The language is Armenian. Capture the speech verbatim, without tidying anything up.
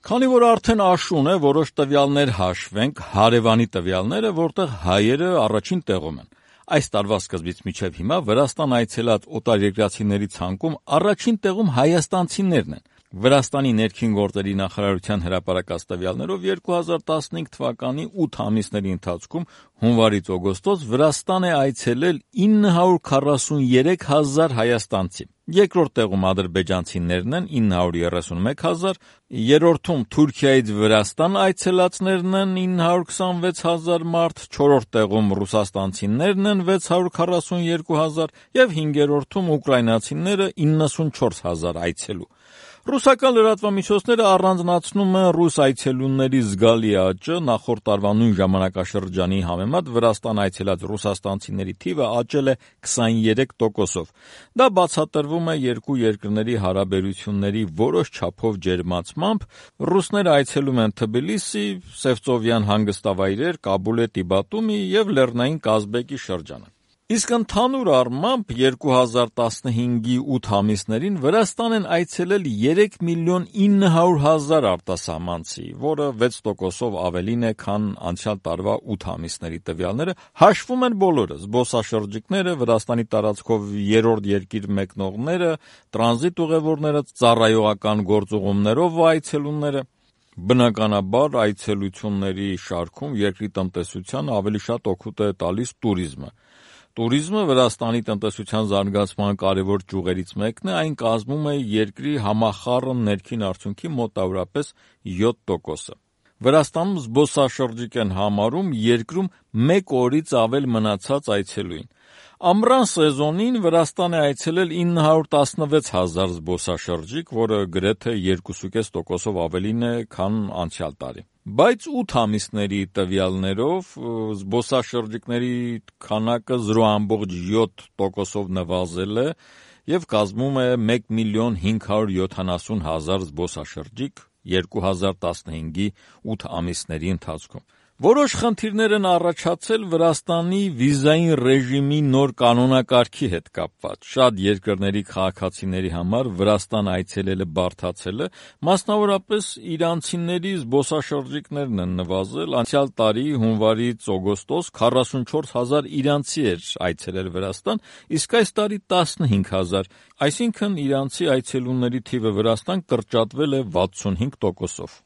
Քանի որ արդեն աշուն է, որոշ տվյալներ հաշվենք, հարևանի տվյալները, որտեղ հայերը առաջին տեղում են։ Այս տարվա սկզբից մինչև հիմա Վրաստան այցելած օտարերկրացիների ցանկում առաջին տեղում հայաստանցիներն են։ Վրաստանի ներքին գործերի նախարարության հրապարակած տվյալներով երկու հազար տասնհինգ թվականի ութ ամիսների ընթացքում հունվարից օգոստոս Վրաստան է այցելել ինը հարյուր քառասուներեք հազար հայաստանցի։ Երկրորդ տեղում ադրբեջանցիներն են ինը հարյուր երեսունմեկ հազար, երրորդում Թուրքիայից Վրաստան այցելածներն են ինը հարյուր քսանվեց հազար մարդ, չորրորդ տեղում ռուսաստանցիներն են վեց հարյուր քառասուներկու հազար եւ հինգերորդում ուկրաինացիները իննսունչորս հազար այցելու։ Ռուսական լրատվամիջոցները առանձնացնում են ռուս այցելուների զգալի աճը, նախորդ տարվա նույն ժամանակաշրջանի համեմատ Վրաստան այցելած ռուսաստանցիների թիվը աճել է քսաներեք տոկոսով։ Դա բացատրվում է երկու երկրների հարաբերությունների որոշ չափով ջերմացմամբ, ռուսները այցելում են Թբիլիսի, Սևծովյան հանգստավայրեր, Կաբուլետի Բատումի եւ Լեռնային Կազբեկի շրջանը։ Իսկ ընդհանուր առմամբ երկու հազար տասնհինգի ութ ամիսներին Վրաստան են այցելել երեք միլիոն ինը հարյուր հազար արտասահմանցի, որը վեց տոկոսով ավելին է, քան անցյալ տարվա ութ ամիսների տվյալները, հաշվում են բոլորը՝ զբոսաշրջիկները, Վրաստանի տարածքով երրորդ երկիր մեկնողները, տրանզիտ ուղևորները, ծառայողական գործուղումներով այցելուները։ Բնականաբար այցելությունների շարքում երկրի տնտեսությանը ավելի շատ օգուտ է տալիս տուրիզմը։ Տուրիզմը Վրաստանի տնտեսության զարգացման կարևոր ճյուղերից մեկն է, այն կազմում է երկրի համախառն ներքին արդյունքի մոտավորապես յոթ տոկոսը։ Վրաստանում զբոսաշրջիկ են համարում երկրում մեկ օրից ավել մնացած այցելուին։ Ամռան սեզոնին Վրաստան է այցելել ինը հարյուր տասնվեց հազար զբոսաշրջիկ, որը գրեթե երկուսուկես տոկոսով ավելին է, քան անցյալ տարի։ Բայց ութ ամիսների տվյալներով զբոսաշրջիկների քանակը զրո ամբողջ յոթ տոկոսով նվազել է եւ կազմում է մեկ միլիոն հինգ հարյուր յոթանասուն հազար զբոսաշրջիկ երկու հազար տասնհինգի ութ ամիսների ընթացքում։ Որոշ խնդիրներ են առաջացել Վրաստանի վիզային ռեժիմի նոր կանոնակարգի հետ կապված։ Շատ երկրների քաղաքացիների համար Վրաստան այցելելը բարդացել է, մասնավորապես իրանցիների զբոսաշրջիկներն են նվազել։ Անցյալ տարի հունվարից օգոստոս քառասունչորս հազար իրանցի էր այցելել Վրաստան, իսկ այս տարի տասնհինգ հազար, այսինքն իրանցի այցելուների թիվը Վրաստան կրճատվել է վաթսունհինգ տոկոսով։